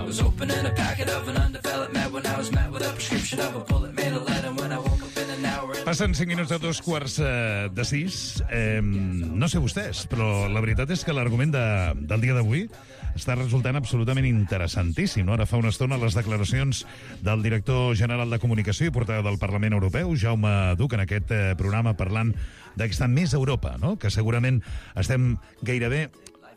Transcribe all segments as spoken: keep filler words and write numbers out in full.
was opening a packet of an undeveloped med when I was met with a prescription of a bullet made a lead, and when I woke up in an hour... Passen cinc minuts de dos quarts eh, de sis. Eh, no sé vostès, però la veritat és que l'argument de, del dia d'avui està resultant absolutament interessantíssim. No? Ara fa una estona les declaracions del director general de Comunicació i portaveu del Parlament Europeu, Jaume Duc, en aquest eh, programa parlant de que està més a Europa, no? Que segurament estem gairebé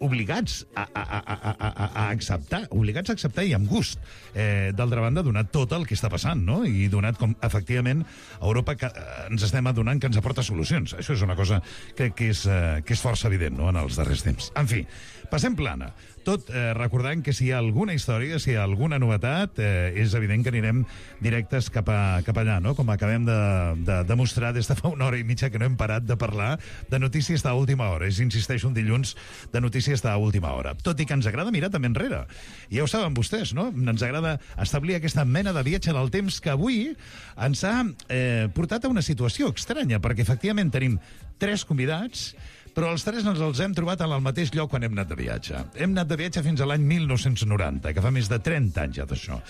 obligats a, a, a, a, a, a acceptar, obligats a acceptar i amb gust. Eh, D'altra banda, donat tot el que està passant, no? I donat com, efectivament, a Europa que, eh, ens estem adonant que ens aporta solucions. Això és una cosa que, que, és, eh, que és força evident, no?, en els darrers temps. En fi, passem plana. Tot eh, recordant que si hi ha alguna història, si hi ha alguna novetat, eh, és evident que anirem directes cap, a, cap allà, no? Com acabem de, de demostrar des de fa una hora i mitja que no hem parat de parlar de notícies d'última hora. És, insisteixo, un dilluns de notícies d'última hora. Tot i que ens agrada mirar també enrere. Ja ho saben vostès, no? Ens agrada establir aquesta mena de viatge en el temps que avui ens ha eh, portat a una situació estranya, perquè efectivament tenim tres convidats, però els tres ens els hem trobat al mateix lloc quan hem anat de viatge. Hem anat de viatge fins a l'any mil nou-cents noranta, que fa més de trenta anys ja d'això.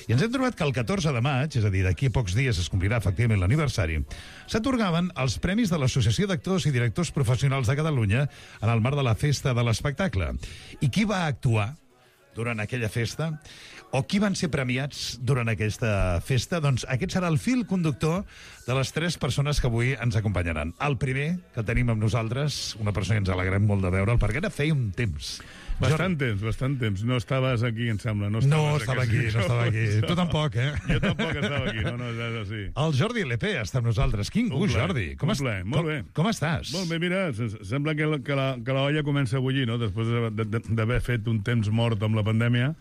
I ens hem trobat que el catorze de maig, és a dir, d'aquí a pocs dies es complirà efectivament l'aniversari, s'atorgaven els premis de l'Associació d'Actors i Directors Professionals de Catalunya en el marc de la Festa de l'Espectacle. I qui va actuar durant aquella festa? O qui van ser premiats durant aquesta festa? Doncs aquest serà el fil conductor de les tres persones que avui ens acompanyaran. El primer que tenim amb nosaltres, una persona que ens alegrem molt de veure'l, perquè ara feia un temps. Bastant temps, bastant temps. No estaves aquí, em sembla. No, no estava aquí, no estava aquí. Tu tampoc, eh? Jo tampoc estava aquí, no, no, és així. El Jordi L P està amb nosaltres. Quin gust, Jordi. Com, est... molt bé. Com, com estàs? Molt bé, mira, sembla que la, que la, que la olla comença a bullir, no?, després d'haver fet un temps mort amb la pandèmia,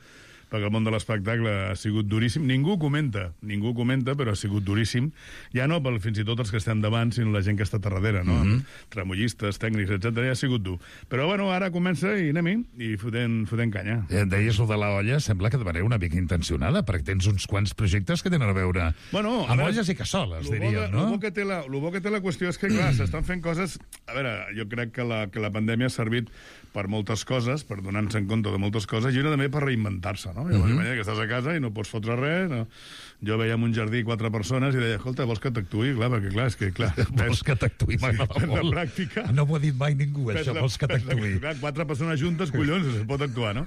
perquè el món de l'espectacle ha sigut duríssim. Ningú comenta, ningú comenta, però ha sigut duríssim. Ja no pel, fins i tot els que estem davant, sinó la gent que està a darrere, no? Mm -hmm. Tremollistes, tècnics, etcètera. Ja ha sigut dur. Però, bueno, ara comença i anem-hi, i fotent, fotent canya. Eh, deies lo de la olla, sembla que de manera una mica intencionada, perquè tens uns quants projectes que tenen a veure bueno, amb olles i cassoles, diríem, no? El bo que té la, el bo que té la qüestió és que, clar, s'estan fent coses... A veure, jo crec que la, que la pandèmia ha servit per moltes coses, per donar-nos en compte de moltes coses, i una també per reinventar-se, no? Llavors, mm-hmm. que estàs a casa i no pots fotre res, no? Jo veia en un jardí quatre persones i deia, escolta, vols que t'actuï? Clar, perquè clar, és que clar... Vols que t'actuï, m'agrada sí, molt. La pràctica... No m'ho ha dit mai ningú, això, la, vols que t'actuï. Clar, quatre persones juntes, collons, es pot actuar, no?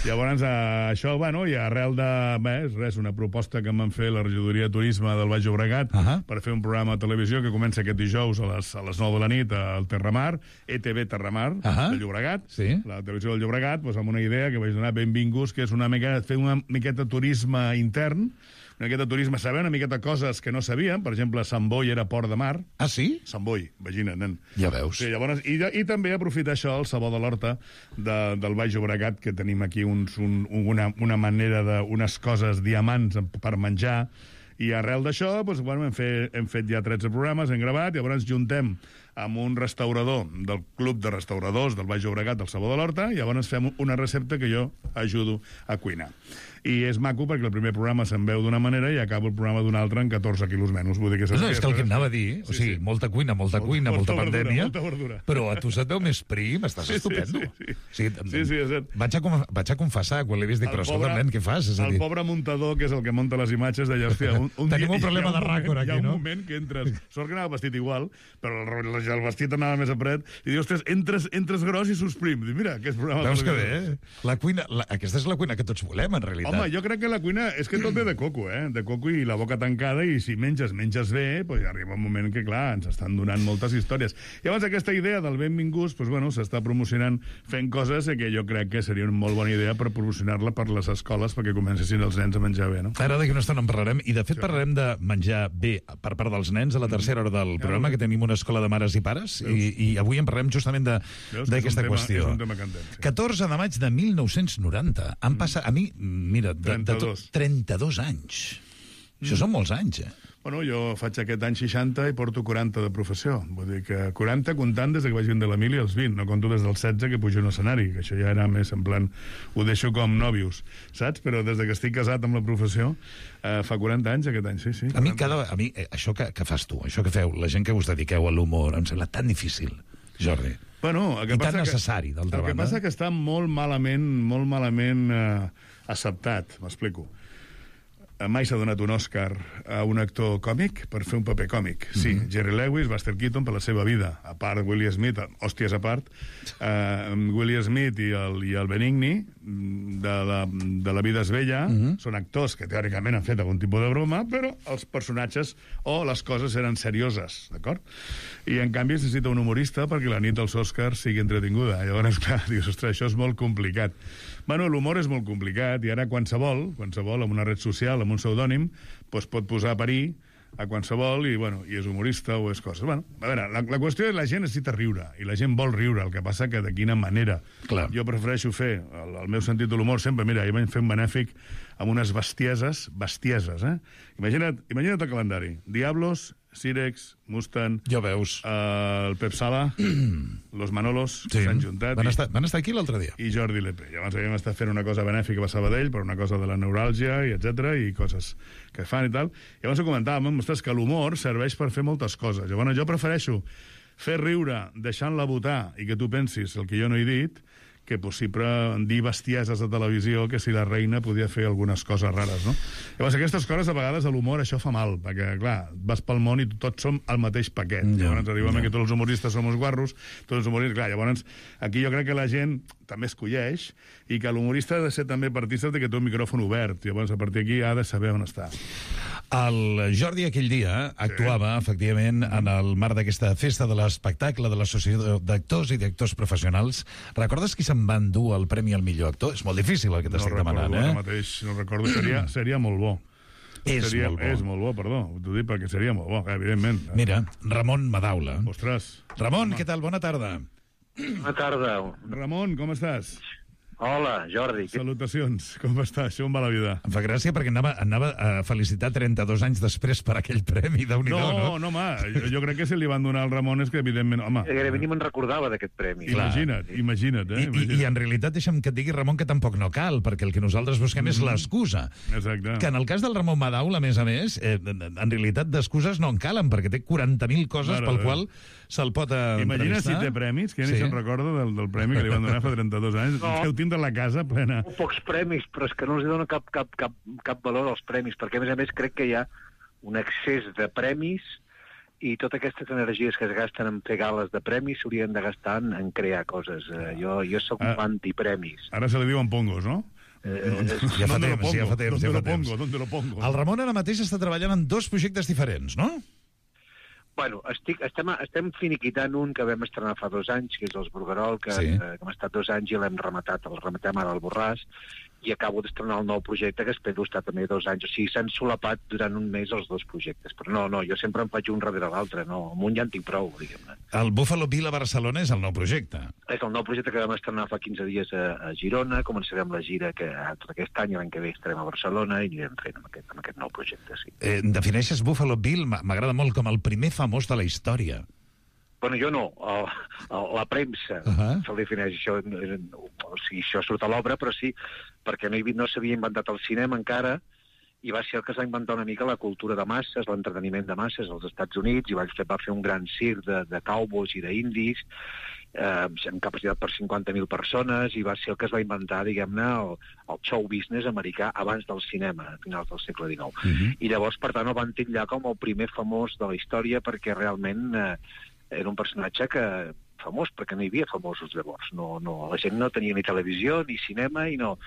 Llavors, eh, això, bueno, i arrel de... Bé, res, una proposta que em van fer la regidoria de Turisme del Baix Llobregat uh -huh. per fer un programa de televisió que comença aquest dijous a les, a les nou de la nit al Terramar, E T V Terramar, uh -huh. de Llobregat, sí. La televisió del Llobregat, doncs, amb una idea que vaig donar benvinguts, que és una mica, fer una miqueta de turisme intern, una miqueta de turisme, saber una miqueta coses que no sabíem. Per exemple, Sant Boi era port de mar. Ah, sí? Sant Boi, imagina't, nen. Ja veus. Sí, llavors, i, i també aprofitar això, el sabor de l'horta de, del Baix Llobregat, que tenim aquí uns, un, una, una manera de... unes coses, diamants per menjar, i arrel d'això, doncs, bueno, hem, fet, hem fet ja tretze programes, hem gravat, i llavors juntem amb un restaurador del Club de Restauradors del Baix Llobregat, del Sabor de l'Horta, i llavors fem una recepta que jo ajudo a cuinar. I és maco perquè el primer programa se'n veu d'una manera i acabo el programa d'una altra en catorze quilos menys. Vull dir que no, no, és que el que em anava a dir, o sigui, sí, sí. molta cuina, molta, molta cuina, molta, molta verdura, pandèmia, molta verdura. Però a tu se't veu més prim, estàs sí, estupendo. Sí, sí, sí. sí, sí, sí és cert. Vaig a, vaig a confessar, quan l'he vist, dic, però escolta, nen, què fas? És a dir... El pobre muntador, que és el que munta les imatges, deia, hòstia, un, un Tenim dia, un problema de ràcor aquí, no? Hi ha un moment que entres... Sort que anava vestit igual, però el, el vestit anava més a pret, i dius, ostres, entres, entres gros i surts prim. Dic, mira, aquest programa... Veus que bé, eh? La cuina, la, aquesta és la cuina que tots volem, en realitat. Home, jo crec que la cuina... És que tot ve de coco, eh? De coco i la boca tancada, i si menges, menges bé, doncs arriba un moment que, clar, ens estan donant moltes històries. I llavors aquesta idea del benvinguts, doncs, bueno, s'està promocionant fent coses que jo crec que seria una molt bona idea per promocionar-la per les escoles perquè comencessin els nens a menjar bé, no? Ara d'aquí una estona en parlarem, i de fet sí. parlarem de menjar bé per part dels nens a la tercera hora del programa, que tenim una escola de mares i pares, i, i avui en parlarem justament d'aquesta qüestió. És un tema candent, sí. catorze de maig de mil nou-cents noranta. Han passat, a mi, mira, de, de tot, trenta-dos anys. Això són molts anys, eh? Bueno, jo faig aquest any seixanta i porto quaranta de professió. Vull dir que quaranta comptant des que vaig venir de l'Emili als vint, no conto des dels setze que pujo a un escenari, que això ja era més en plan... Ho deixo com nòvios, saps? Però des que estic casat amb la professió, eh, fa quaranta anys aquest any, sí, sí. A mi, cada, a mi eh, això que, que fas tu, això que feu, la gent que us dediqueu a l'humor, em sembla tan difícil, Jordi. Bueno, el que I passa tan necessari, d'altra banda. El que passa que està molt malament, molt malament... Eh, acceptat, m'explico. Mai s'ha donat un Òscar a un actor còmic per fer un paper còmic. Sí, mm -hmm. Jerry Lewis, Buster Keaton per la seva vida. A part, Willie Smith, hòsties a part, uh, Willie Smith i el, i el Benigni, de la, de la vida és vella, mm -hmm. són actors que teòricament han fet algun tipus de broma, però els personatges o les coses eren serioses, d'acord? I, en canvi, es necessita un humorista perquè la nit dels Òscars sigui entretinguda. Llavors, clar, dius, ostres, això és molt complicat. Bueno, l'humor és molt complicat i ara qualsevol, qualsevol amb una red social, amb un pseudònim, doncs pot posar a parir a qualsevol i, bueno, i és humorista o és coses. Bueno, a veure, la, la qüestió és que la gent necessita riure i la gent vol riure, el que passa que de quina manera. Clar. Jo prefereixo fer, el, el meu sentit de l'humor sempre, mira, jo vaig fer un benèfic amb unes bestieses, bestieses, eh? Imagina't, imagina't el calendari. Diablos, Sirex, Mustang... Ja veus. Uh, el Pep Sala, los Manolos, Sí. s'han juntat... Van i- estar, van estar aquí l'altre dia. i Jordi Lepe. Llavors havíem estat fent una cosa benèfica a Sabadell per una cosa de la neuràlgia, i etcètera i coses que fan i tal. Llavors ho comentàvem, ostres, que l'humor serveix per fer moltes coses. Llavors jo prefereixo fer riure deixant-la votar i que tu pensis el que jo no he dit, que possible dir bestieses de televisió que si la reina podia fer algunes coses rares, no? Llavors, aquestes coses, a vegades, a l'humor, això fa mal, perquè, clar, vas pel món i tots som el mateix paquet. Ja, Llavors, diuen ja. que tots els humoristes som uns guarros, tots els humoristes... Clar, llavors, aquí jo crec que la gent també es colleix i que l'humorista ha de ser també partícip de que té un micròfon obert. Llavors, a partir d'aquí ha de saber on està. El Jordi aquell dia actuava, sí. efectivament, en el marc d'aquesta festa de l'espectacle de l'Associació d'Actors i d'Actors Professionals. Recordes qui se'n va endur el Premi al millor actor? És molt difícil el que t'estic no demanant, recordo, eh? ara mateix, no recordo. Seria, seria molt bo. És seria, molt bo. És molt bo, perdó. T'ho dic perquè seria molt bo, evidentment. Mira, Ramon Madaula. Ostres. Ramon, què tal? Bona tarda. Bona tarda. Ramon, com estàs? Hola, Jordi. Què- Salutacions. Com estàs? Com va la vida? Em fa gràcia perquè anava, anava a felicitar trenta-dos anys després per aquell premi, Déu-n'hi-do, No, no? no, home, jo, jo crec que si li van donar al Ramon és que, evidentment, home... Gairebé ni me'n recordava d'aquest premi. Clar. Imagina't, imagina't, eh? I, i, I Imagina't. en realitat deixa'm que et digui, Ramon, que tampoc no cal, perquè el que nosaltres busquem és l'excusa. Exacte. Que en el cas del Ramon Madaula, a més a més, eh, en realitat d'excuses no en calen, perquè té quaranta mil coses Mare pel de qual se'l pot eh, Imagina si entrevistar. té premis, que ja ni Sí. se'n recorda del, del premi que li van donar fa trenta-dos anys. No. Deu tindre la casa plena. Molt pocs premis, però és que no els dono cap, cap, cap, cap valor als premis, perquè, a més a més, crec que hi ha un excés de premis i totes aquestes energies que es gasten en fer gales de premis s'haurien de gastar en, en crear coses. Eh, jo, jo sóc Ah. un antipremis. Ara se li diuen pongos, no? Eh, Ja fa ¿Dónde lo temps, ja pongo? fa temps, ¿Dónde ja lo fa temps. pongo? ¿Dónde lo pongo? El Ramon ara mateix està treballant en dos projectes diferents, no? Bueno, estic, estem, estem finiquitant un que vam estrenar fa dos anys, que és els Bruguerol, que, Sí. sí. eh, que hem estat dos anys i l'hem rematat, el rematem ara al Borràs, i acabo d'estrenar el nou projecte, que espero estar també dos anys. O sigui, s'han solapat durant un mes els dos projectes. Però no, no, jo sempre em faig un darrere l'altre, no, amb un ja en tinc prou, diguem-ne. El Buffalo Bill a Barcelona és el nou projecte. És el nou projecte que vam estrenar fa quinze dies a, a Girona, començarem la gira que tot aquest any, l'any que ve estarem a Barcelona i anirem fent amb aquest, amb aquest nou projecte, sí. Eh, defineixes Buffalo Bill, m- m'agrada molt, com el primer famós de la història. Bueno, jo no, el, el, la premsa Uh -huh. se'l defineix, això, eh, o sigui, això surt a l'obra, però sí, perquè no, hi, havia- no s'havia inventat el cinema encara, i va ser el que es va inventar una mica la cultura de masses, l'entreteniment de masses als Estats Units, i va fer, va fer un gran circ de, de cowboys i d'indis, eh, amb capacitat per cinquanta mil persones, i va ser el que es va inventar, diguem-ne, el, el show business americà abans del cinema, a finals del segle dinou. Uh -huh. I llavors, per tant, el van titllar com el primer famós de la història, perquè realment eh, era un personatge que famós, perquè no hi havia famosos llavors. No, no, la gent no tenia ni televisió ni cinema i no,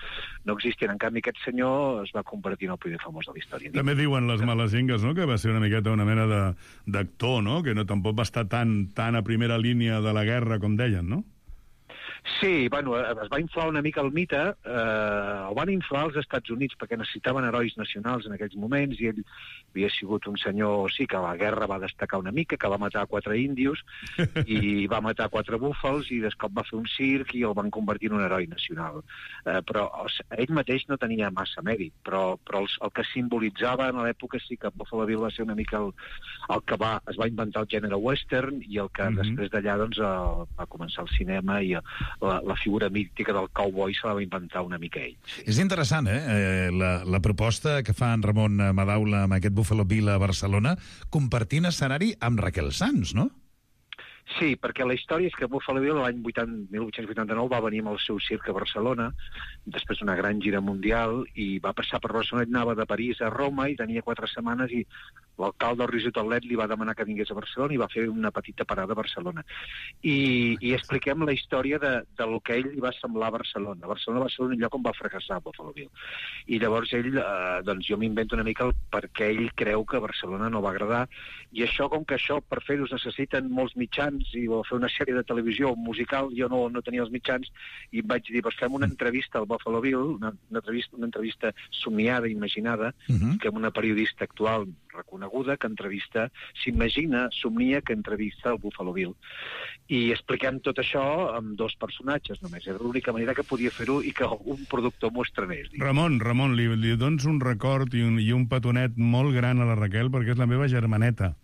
no existien. En canvi, aquest senyor es va convertir en el primer famós de la història. També diuen les males llengues, no?, que va ser una miqueta una mena de- d'actor, no?, que no tampoc va estar tan, tan a primera línia de la guerra, com deien, no? Sí, bueno, es va inflar una mica el mite, eh, el van inflar als Estats Units perquè necessitaven herois nacionals en aquells moments i ell havia sigut un senyor, sí, que a la guerra va destacar una mica, que va matar quatre índios i va matar quatre búfals i de cop va fer un circ i el van convertir en un heroi nacional. Eh, però o sigui, ell mateix no tenia massa mèrit, però, però els, el que simbolitzava en l'època sí que Buffalo Bill va ser una mica el, el que va, es va inventar el gènere western i el que Mhm. després d'allà doncs, el, va començar el cinema i la, la figura mítica del cowboy se la va inventar una mica ell. Sí. És interessant, eh? eh la, la proposta que fa en Ramon Madaula amb aquest Buffalo Bill a Barcelona, compartint escenari amb Raquel Sanz, no? Sí, perquè la història és que Buffalo Bill l'any mil vuit-cents vuitanta-nou va venir amb el seu circ a Barcelona, després d'una gran gira mundial, i va passar per Barcelona, i anava de París a Roma, i tenia quatre setmanes, i l'alcalde Roger Taulet li va demanar que vingués a Barcelona i va fer una petita parada a Barcelona. I, i expliquem la història de, de lo que ell li va semblar a Barcelona. Barcelona va ser un lloc on va fracassar Buffalo Bill. I llavors ell, eh, doncs jo m'invento una mica el perquè ell creu que Barcelona no va agradar, i això, com que això per fer-ho es necessiten molts mitjans i o fer una sèrie de televisió musical, jo no, no tenia els mitjans, i em vaig dir, doncs fem una entrevista al Buffalo Bill, una, una, entrevista, una entrevista somiada, imaginada, uh -huh. que una periodista actual reconeguda que entrevista, s'imagina, somnia que entrevista el Buffalo Bill. I expliquem tot això amb dos personatges només. Era l'única manera que podia fer-ho i que un productor m'ho estrenés. Ramon, Ramon, li, li dones un record i un, i un petonet molt gran a la Raquel perquè és la meva germaneta.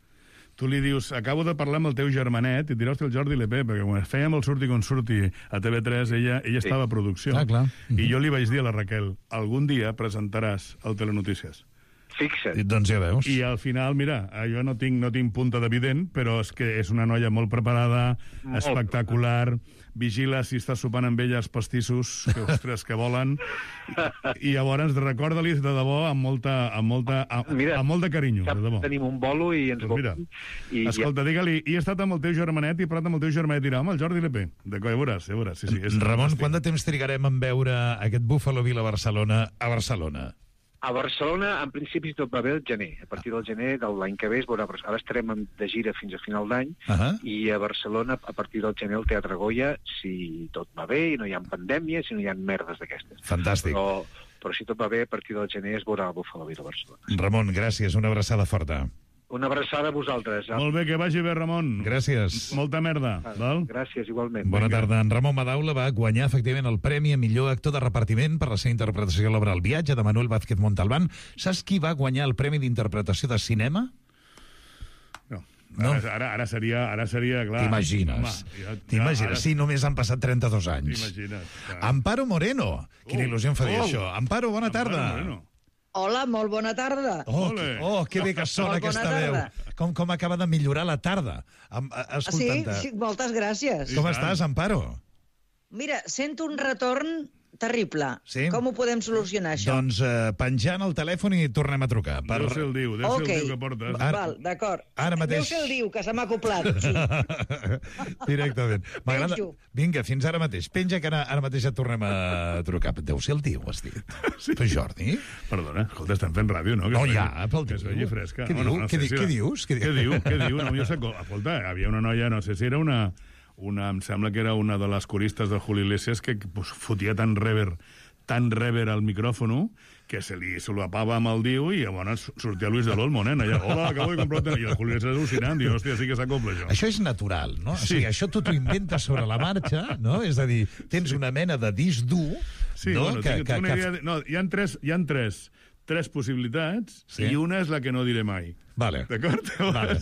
Tu li dius, acabo de parlar amb el teu germanet, i et dirà, hosti, el Jordi Lepé, perquè quan fèiem el Surti com surti a T V tres, ella, ella sí. estava a producció. Ah, clar. I jo li vaig dir a la Raquel, algun dia presentaràs el Telenotícies. Fixa't. I, doncs ja veus. I al final, mira, jo no tinc, no tinc punta d'evident, però és que és una noia molt preparada, molt espectacular, vigila si estàs sopant amb ella els pastissos, que, ostres, que volen, i, i llavors recorda-li de debò amb molta, amb molta, amb, mira, amb molt de carinyo, de debò. Tenim un bolo i ens doncs mira, i, escolta, digue-li, he estat amb el teu germanet i he parlat amb el teu germanet i dirà, home, el Jordi Lepé. D'acord, ja veuràs, ja veuràs. Sí, sí, és Ramon, quant de temps trigarem en veure aquest Buffalo Bill a Barcelona, a Barcelona? A Barcelona, en principi, tot va bé el gener. A partir del gener de l'any que ve es veurà. Ara estarem de gira fins a final d'any, uh -huh. i a Barcelona, a partir del gener, el Teatre Goya, si tot va bé i no hi ha pandèmia, si no hi ha merdes d'aquestes. Fantàstic. Però, però si tot va bé, a partir del gener es veurà el Buffalo Bill a Barcelona. Ramon, gràcies. Una abraçada forta. Una abraçada a vosaltres. Molt bé, que vagi bé, Ramon. Gràcies. Molta merda. Val? Gràcies, igualment. Bona tarda. En Ramon Madaula va guanyar, efectivament, el Premi a Millor Actor de Repartiment per la seva interpretació a l'obra El viatge, de Manuel Vázquez Montalbán. Saps qui va guanyar el Premi d'Interpretació de Cinema? No. No? Ara, ara, ara, seria, ara seria, clar... T'imagines. Ja, T'imagines. ara... Sí, només han passat trenta-dos anys. T'imagines. Clar. Amparo Moreno. Quina oh, il·lusió em fa dir oh, això. Amparo, bona Amparo tarda. Moreno. Hola, molt bona tarda. Oh, que, oh, que bé que sona Molt bona aquesta tarda. veu. Com, com acaba de millorar la tarda, Sí, escoltant-te. sí, moltes gràcies. Com estàs, Amparo? Mira, sento un retorn terrible. Sí? Com ho podem solucionar, això? Doncs eh, penjant el telèfon i tornem a trucar. Per... Deu ser el diu, deu ser Ok. el diu que portes. Ara- Val, d'acord. ara mateix- Deu ser el diu, que se m'ha acoplat. Sí. Directament. M'agrada... Penjo. Vinga, fins ara mateix. Penja que ara, ara mateix ja tornem a trucar. Deu ser el diu, has dit. Sí. Però Jordi? Perdona, escolta, estem fent ràdio, no? Que No, es ja, vegi- pel que es diu. vegi fresca. Què No, diu? no, no Què sé di- si què era- dius? Què Què diu? diu? Què diu? No, jo sé, escolta, havia una noia, no sé si era una, una em sembla que era una de les coristes del Julio Iglesias que pues, fotia tan rever, tan rever al micròfono que se li solapava amb el diu i llavors sortia Luis de l'Olmo, nen, allà, hola, acabo de comprar... I el Julio Iglesias al·lucinant, diu, hòstia, sí que s'acopla això. Això és natural, no? Sí. O sigui, això tu t'ho inventes sobre la marxa, no? És a dir, tens una mena de disc dur, Sí, no? bueno, que, tinc, que, tinc una que... idea de... No, hi ha tres, hi ha tres, tres possibilitats Sí. i una és la que no diré mai. Vale. D'acord? Vale.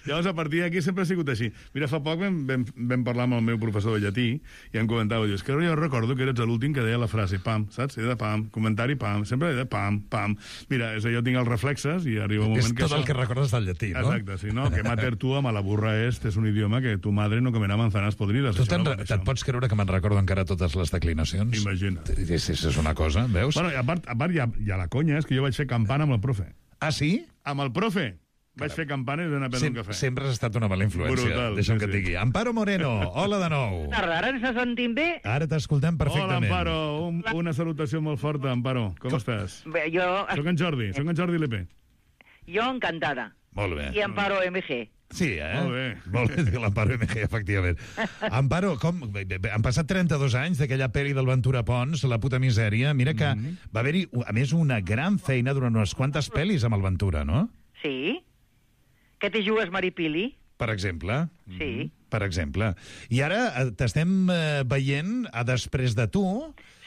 Llavors, a partir d'aquí sempre ha sigut així. Mira, fa poc vam, vam, vam parlar amb el meu professor de llatí i em comentava, dius, que jo recordo que eres l'últim que deia la frase pam, saps? Era de pam, comentari pam, sempre era de pam, pam. Mira, és, jo tinc els reflexes i arriba un moment És que tot això... el que recordes del llatí, no? Exacte, sí, no? Que mater tu a la burra est és un idioma que tu madre no comerà manzanas podrides. Tu Això te'n, no, re- això. te'n pots creure que me'n recordo encara totes les declinacions? Imagina't. És, és una cosa, veus? Bueno, i a part, a part hi, ha, hi ha la conya, és que jo vaig fer campana amb el profe. Ah, sí? Amb el profe. Vaig fer campana i d'anar a prendre Sem un cafè. sempre has estat una mala influència. Brutal, Deixa'm sí, que et sí. digui. Amparo Moreno, hola de nou. Tarda, ara ens sentim bé? Ara t'escoltem Hola, perfectament. Amparo. Un, una salutació molt forta, Amparo. Com, Com estàs? Bé, jo, Soc en Jordi, soc en Jordi Lepé. jo encantada. Molt bé. I Amparo M G. Sí, eh? Molt bé. Molt bé, diu l'Amparo M G, efectivament. Amparo, com... bé, bé, han passat trenta-dos anys d'aquella pel·li del Ventura Pons, La puta misèria. Mira que Mhm. va haver-hi, a més, una gran feina durant unes quantes pel·lis amb el Ventura, no? Sí? Que t'hi jugues, Maripili? Per exemple. Sí. Per exemple. I ara eh, t'estem eh, veient a Després de tu.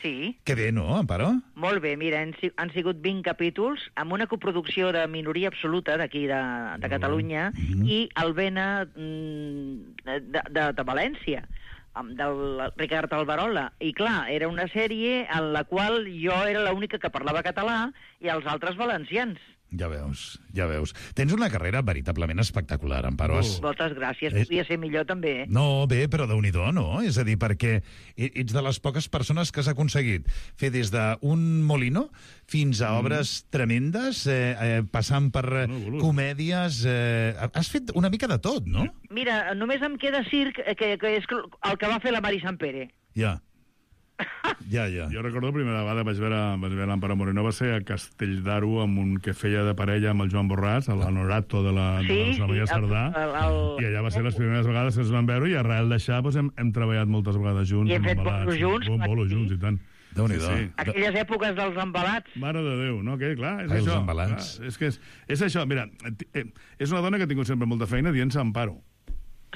Sí. Que bé, no, Amparo? Molt bé, mira, han, si- han sigut vint capítols amb una coproducció de minoria absoluta d'aquí de, de Catalunya i Alvena mm, de, de, de València, amb del Ricard Alvarola. I clar, era una sèrie en la qual jo era l'única que parlava català i els altres valencians. Ja veus, ja veus. Tens una carrera veritablement espectacular, Amparo. Has... Moltes gràcies. És- Podria ser millor, també. Eh? No, bé, però déu-n'hi-do, no? És a dir, perquè e- ets de les poques persones que has aconseguit fer des d'un molino fins a obres tremendes, eh, eh, passant per eh, Bueno, boludo. comèdies... Eh, has fet una mica de tot, no? Mira, només em queda circ, eh, que, que és el que va fer la Mari Sampere. Ja. Ja, ja. Jo recordo la primera vegada vaig veure, vaig veure l'Amparo Moreno, va ser a Castell d'Aro, amb un que feia de parella amb el Joan Borràs, l'Honorato de la, Sí, de la Rosa Maria sí, el- Sardà, el- el- i allà va ser les primeres vegades que ens van veure, i arrel d'això doncs, hem, hem treballat moltes vegades junts. I hem amb fet embalats, bolos junts, Bom, clar bolos que sí. junts, i tant. Déu-n'hi-do. Sí, sí. Aquelles èpoques dels embalats. Mare de Déu, no? Que, clar, és Ai, els això. embalats. Clar, és, que és, és això, mira, eh, és una dona que ha tingut sempre molta feina dient-se Amparo.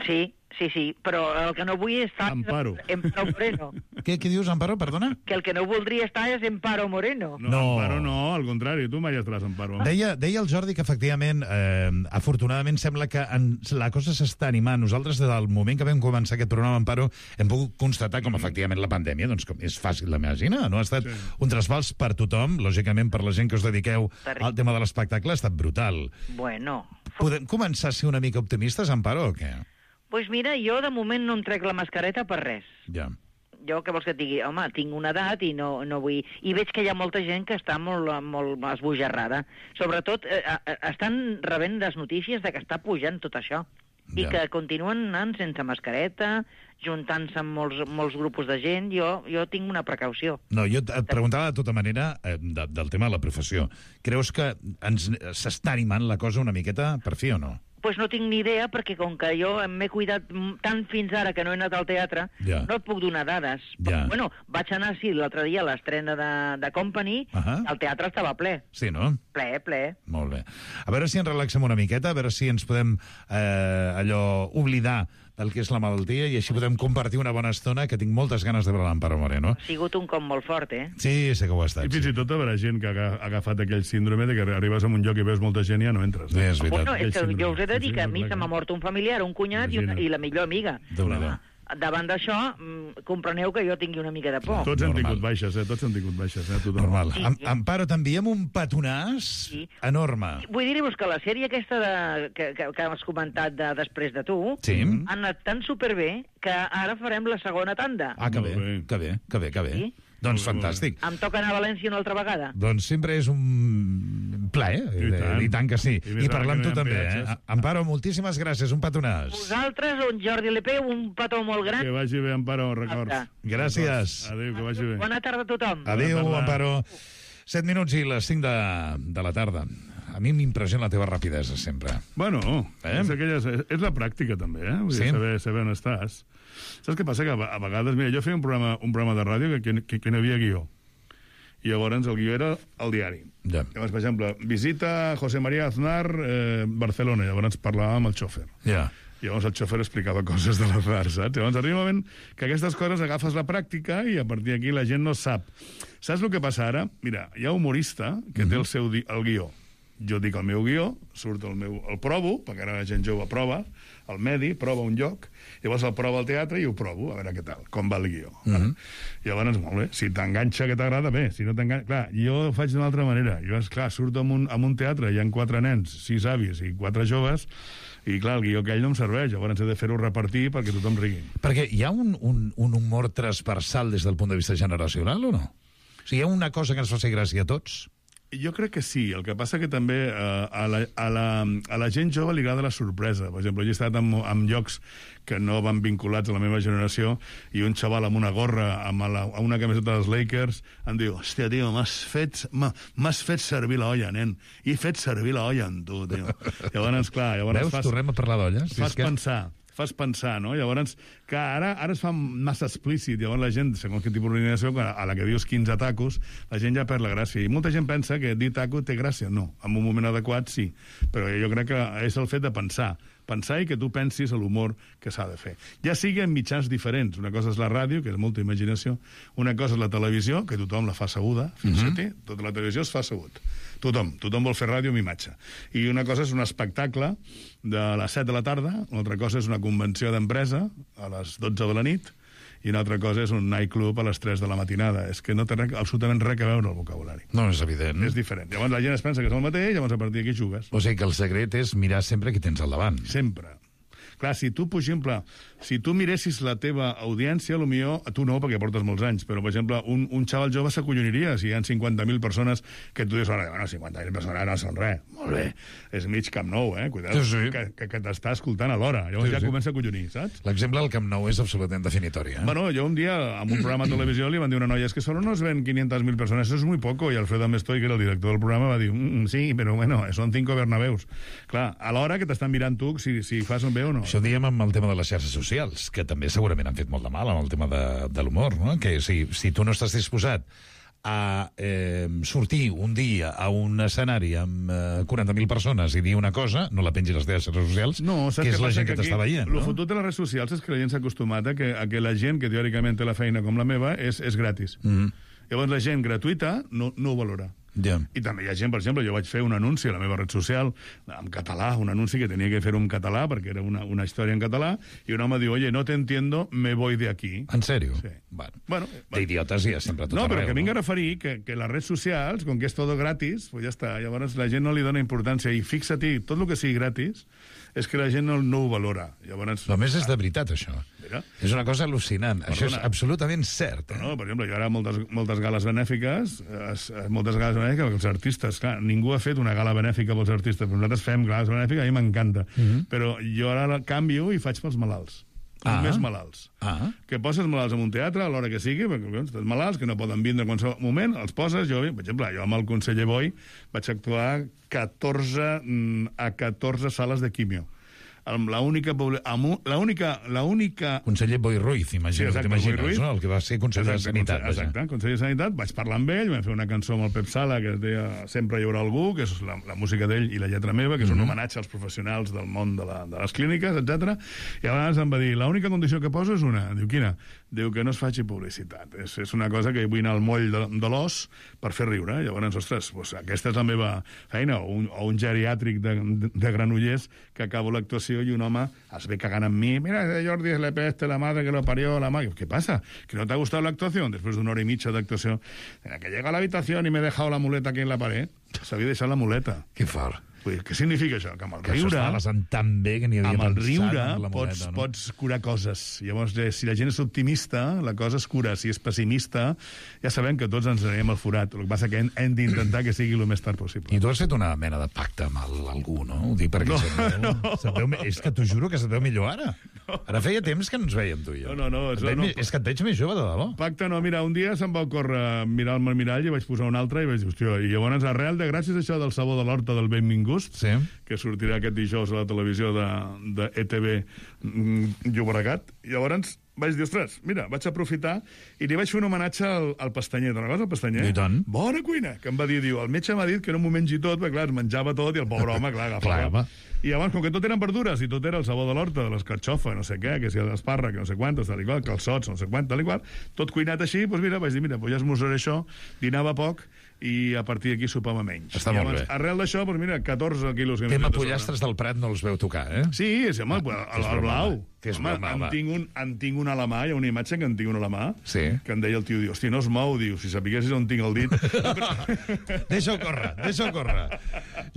Sí, sí, sí, però el que no vull estar Amparo. és Emparo Moreno. Què, què dius, Amparo? Perdona? Que el que no voldria estar és Emparo Moreno. No, No. Amparo no, al contrari, tu mai estaràs Amparo. Deia, deia el Jordi que, efectivament, eh, afortunadament sembla que en, la cosa s'està animant. Nosaltres, des del moment que vam començar aquest programa, Amparo, hem pogut constatar com, efectivament, la pandèmia, doncs, com és fàcil d'imaginar, no? Ha estat Sí. un trasbals per tothom, lògicament, per la gent que us dediqueu Terrible. al tema de l'espectacle, ha estat brutal. Bueno, Podem començar a ser una mica optimistes, Amparo, o què? doncs mira, jo de moment no em trec la mascareta per res. Ja. Jo, què vols que et digui? Home, tinc una edat i no, no vull... I veig que hi ha molta gent que està molt, molt esbojarrada. Sobretot, eh, eh, estan rebent les notícies de que està pujant tot això. I Ja. que continuen anant sense mascareta, juntant-se amb molts, molts grupos de gent. Jo, jo tinc una precaució. No, jo et preguntava de tota manera eh, de, del tema de la professió. Creus que ens s'està animant la cosa una miqueta per fi o no? Pues no tinc ni idea, perquè com que jo m'he cuidat m- tant fins ara que no he anat al teatre, Ja. no et puc donar dades. Ja. Però, bueno, vaig anar, sí, l'altre dia a l'estrena de, de Company, Ahà. el teatre estava ple. Sí, no? Ple, ple. Molt bé. A veure si ens relaxem una miqueta, a veure si ens podem eh, allò oblidar del que és la malaltia i així podem compartir una bona estona, que tinc moltes ganes de veure l'Amparo Moreno. Ha sigut un cop molt fort, eh? Sí, sé que ho ha estat. I fins Sí, i tot haurà gent que ha agafat aquell síndrome de que arribes a un lloc i veus molta gent i ja no entres. sí és veritat. Bueno, és que síndrome. jo us he de dir Sí, que a sí, mi clar, se m'ha clar. mort un familiar, un cunyat i, una, Imagina't. i la millor amiga. Déu-n'hi-do. Davant d'això, mm, compreneu que jo tingui una mica de por. Tots hem Normal. tingut baixes, eh? Tots hem tingut baixes, eh? Tothom. Normal. Sí, Am sí. Amparo, t'enviem un petonàs Sí. enorme. Vull dir-vos que la sèrie aquesta de, que, que, que has comentat de, després de tu Sí? ha anat tan superbé que ara farem la segona tanda. Ah, que Molt bé, bé. que bé, que bé, que bé. Sí? Doncs Molt bé, molt fantàstic. Em toca anar a València una altra vegada. Doncs sempre és un plaer, I tant. eh, i tant que sí. I més I ara parlar amb que tu no hi ha també, eh? peatges. Amparo, moltíssimes gràcies, un petonàs. Vosaltres, un Jordi Lepeu, un petó molt gran. Que vagi bé, Amparo, records. Exacte. Gràcies. Adéu, que vagi bé. Bona tarda a tothom. Adéu, Bona tarda. Amparo. Set minuts i les cinc de, de la tarda. A mi m'impressiona la teva rapidesa, sempre. Bueno, Eh? és, aquelles, és, és la pràctica, també, eh? Vull dir, Sí. saber, saber on estàs. Saps què passa? Que a, a vegades, mira, jo feia un programa, un programa de ràdio que, que, que no hi havia guió. I llavors el guió era el diari. Ja. Llavors, per exemple, visita José María Aznar, eh, Barcelona. Llavors parlàvem amb el xòfer. Ja. Llavors el xòfer explicava coses de l'Aznar, saps? Llavors arriba un moment que aquestes coses agafes la pràctica i a partir d'aquí la gent no sap. Saps el que passa ara? Mira, hi ha un humorista que té el seu di- el guió. Jo dic el meu guió, surt el meu... El provo, perquè ara la gent jove prova, el medi, prova un lloc, llavors el prova al teatre i ho provo, a veure què tal, com va el guió. Uh -huh. Llavors, molt bé, si t'enganxa que t'agrada, bé, si no t'enganxa... Clar, jo ho faig d'una altra manera. Jo, esclar, surto en un, en un teatre, hi ha quatre nens, sis avis i quatre joves, i clar, el guió aquell no em serveix, llavors he de fer-ho repartir perquè tothom rigui. Perquè hi ha un, un, un humor transversal des del punt de vista generacional, o no? O sigui, hi ha una cosa que ens faci gràcia a tots? Jo crec que sí, el que passa que també eh, a, la, a, la, a la gent jove li agrada la sorpresa. Per exemple, jo he estat en, en llocs que no van vinculats a la meva generació i un xaval amb una gorra, amb la, amb una camiseta dels Lakers, em diu, hòstia, tio, m'has fet, m'has fet servir l'olla, nen. I he fet servir l'olla amb tu, tio. Llavors, clar, llavors Veus? fas, Tornem a parlar d'olles. fas És que... pensar. fas pensar, no? Llavors, que ara, ara es fa massa explícit, llavors la gent, segons quin tipus d'organització, a la que dius quinze tacos, la gent ja perd la gràcia. I molta gent pensa que dir taco té gràcia. No, en un moment adequat sí, però jo crec que és el fet de pensar, pensar i que tu pensis a l'humor que s'ha de fer. Ja sigui en mitjans diferents. Una cosa és la ràdio, que és molta imaginació, una cosa és la televisió, que tothom la fa asseguda, fins uh-huh. a tota la televisió es fa assegut. Tothom, tothom vol fer ràdio amb imatge. I una cosa és un espectacle de les set de la tarda, una altra cosa és una convenció d'empresa a les dotze de la nit, i una altra cosa és un nightclub a les tres de la matinada. És que no té res, absolutament res a veure el vocabulari. No, és evident. És diferent. Llavors la gent es pensa que és el mateix, llavors a partir d'aquí jugues. O sigui que el secret és mirar sempre qui tens al davant. Sempre. Clar, si tu, per exemple, si tu miressis la teva audiència, potser, tu no, perquè portes molts anys, però, per exemple, un, un xaval jove s'acolloniria si hi ha cinquanta mil persones que tu dius, bueno, cinquanta mil persones no són res. Molt bé. És mig Camp Nou, eh? Cuidado, sí, sí. que, que, que t'està escoltant a l'hora. Llavors sí, ja sí. comença a acollonir, saps? L'exemple del Camp Nou és absolutament definitori, eh? Bueno, jo un dia, en un programa de televisió, li van dir a una noia, es que solo nos ven quinientas mil personas, eso es muy poco, i Alfredo Amestoy, que era el director del programa, va dir, mm, sí, però bueno, son cinco Bernabeus. Clar, a l'hora que t'estan mirant tu, si, si fas un bé o no. Això diem amb el tema de les xarxes socials, que també segurament han fet molt de mal amb el tema de, de l'humor, no? Que si, si tu no estàs disposat a eh, sortir un dia a un escenari amb eh, quaranta mil persones i dir una cosa, no la pengis a les teves xarxes socials, no, que és la gent que, que t'està veient. El no? fotut de les redes socials és que la gent s'ha acostumat a que, a que la gent que teòricament té la feina com la meva és, és gratis. Mm -hmm. Llavors la gent gratuïta no, no ho valora. Yeah. I també hi ha gent, per exemple, jo vaig fer un anunci a la meva red social en català, un anunci que tenia que fer en català perquè era una, una història en català, i un home diu, oye, no te entiendo, me voy de aquí. En sèrio? Sí. Bueno, bueno, d'idiotes hi ha sempre a tot no, arreu. però que vinc a no? referir que, que les redes socials, com que és tot gratis, pues ja està. Llavors la gent no li dona importància. I fixa-t'hi, tot el que sigui gratis és que la gent no, no ho valora. Llavors, a més, és de veritat, això. Mira. És una cosa al·lucinant. Perdona. Això és absolutament cert. Eh? No, per exemple, jo ara moltes, moltes gales benèfiques, es, moltes gales benèfiques, perquè els artistes, clar, ningú ha fet una gala benèfica pels artistes, però nosaltres fem gales benèfiques, a mi m'encanta. Mm -hmm. Però jo ara la canvio i faig pels malalts. Ah. Més malalts. Ah. Que poses malalts en un teatre a l'hora que sigui, perquè els malalts que no poden vindre en qualsevol moment, els poses, jo, per exemple, jo amb el conseller Boi vaig actuar catorze, a catorze sales de quimio. La única, la única, la única... Conseller Boi Ruiz, imagino, sí, t'imagines, no? El que va ser conseller exacte, de Sanitat. Exacte, conseller de Sanitat. Vaig parlar amb ell, vam fer una cançó amb el Pep Sala que es deia Sempre hi haurà algú, que és la, la música d'ell i la lletra meva, que és un homenatge als professionals del món de, la, de les clíniques, etcètera. I abans em va dir, l'única condició que poso és una. Diu, quina? Diu que no es faci publicitat. És, és una cosa que vull anar al moll de, de l'os per fer riure. Llavors, ostres, doncs, aquesta és la meva feina. O un, o un geriàtric de, de, de Granollers que acabo l'actuació i un home es ve cagant amb mi. Mira, Jordi, es le peste la madre que lo parió, la madre. ¿Qué pasa? ¿Que no te ha gustado la actuación? Después de una hora y media de actuación, que llega a la habitación y me he dejado la muleta aquí en la pared. S'havia deixat la muleta. Que fort. Dir, què significa això? Que amb el que riure... Que això estava tan bé que n'hi havia amb el pensat riure amb la pots, muleta, no? pots curar coses. Llavors, eh, si la gent és optimista, la cosa es cura. Si és pessimista, ja sabem que tots ens anirem al forat. El que passa que hem, hem d'intentar que sigui el més tard possible. I tu has fet una mena de pacte amb el, algú, no? Ho dic perquè no, se't veu, no. se't veu, és que t'ho juro que se't veu millor ara. No. Ara feia temps que no ens veiem, tu i jo. No, no, no. Et veig, no és que et veig més jove, de debò. Pacte no, mira, un dia se'm va ocórrer mirar-me al mirall i vaig posar un altre i vaig dir, hòstia, i llavors arrel de gràcies a això del sabó de l'horta del Benvingut, sí. que sortirà aquest dijous a la televisió de, de E T V Llobregat, llavors vaig dir, ostres, mira, vaig aprofitar i li vaig fer un homenatge al, al Pastanyer. Te'n recordes, el Pastanyer? I tant. Bona cuina, que em va dir, diu, el metge m'ha dit que no m'ho mengi tot, perquè clar, es menjava tot i el pobre home, clar, agafava. Clar, I llavors, com que tot eren verdures i tot era el sabó de l'horta, de l'escarxofa, no sé què, que si l'espàrrec, no sé quantos, tal i qual, calçots, no sé quant, tal i qual, tot cuinat així, doncs mira, vaig dir, mira, doncs ja esmorzaré això, dinava poc, i a partir d'aquí sopava menys. Està I molt llavors, bé. arrel d'això, doncs mira, catorze quilos... Que tema pollastres del Prat no els veu tocar, eh? Sí, sí, home, el, el blau. Que és home, broma, en, tinc un, en tinc una a la mà, hi ha una imatge que en tinc una a la mà, sí. que em deia el tio, diu, hosti, no es mou, diu, si sapiguessis on tinc el dit... Deixa-ho córrer, deixa-ho córrer.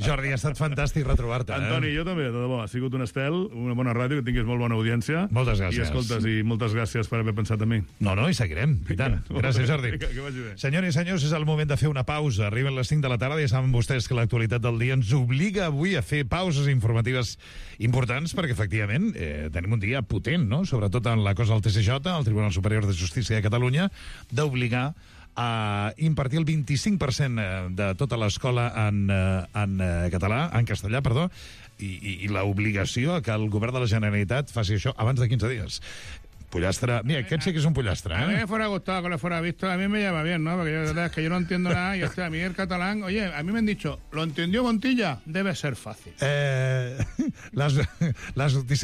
Jordi, ha estat fantàstic retrobar-te. Antoni, eh? jo també, de debò, ha sigut un estel, una bona ràdio, que tinguis molt bona audiència. Moltes gràcies. I escoltes, i moltes gràcies per haver pensat en mi. No, no, i seguirem, i tant. Gràcies, Jordi. Que, que vagi bé. Senyores i senyors, és el moment de fer una pausa. Arriben les cinc de la tarda i saben vostès que l'actualitat del dia ens obliga avui a fer pauses informatives importants perquè, efectivament, eh, tenim un dia potent, no?, sobretot en la cosa del T C J, el Tribunal Superior de Justícia de Catalunya, d'obligar a impartir el vint-i-cinc per cent de tota l'escola en, en català, en castellà, perdó, i, i, i l'obligació que el govern de la Generalitat faci això abans de quinze dies. Pollastre. Mira, aquest sí que es un pollastre, ¿eh? A mí me fuera gustado que lo fuera visto, a mí me llama bien, ¿no? Porque yo, la verdad es que yo no entiendo nada y hostia, a mí el catalán, oye, a mí me han dicho, ¿lo entendió Montilla? Debe ser fácil. Eh, las, las noticias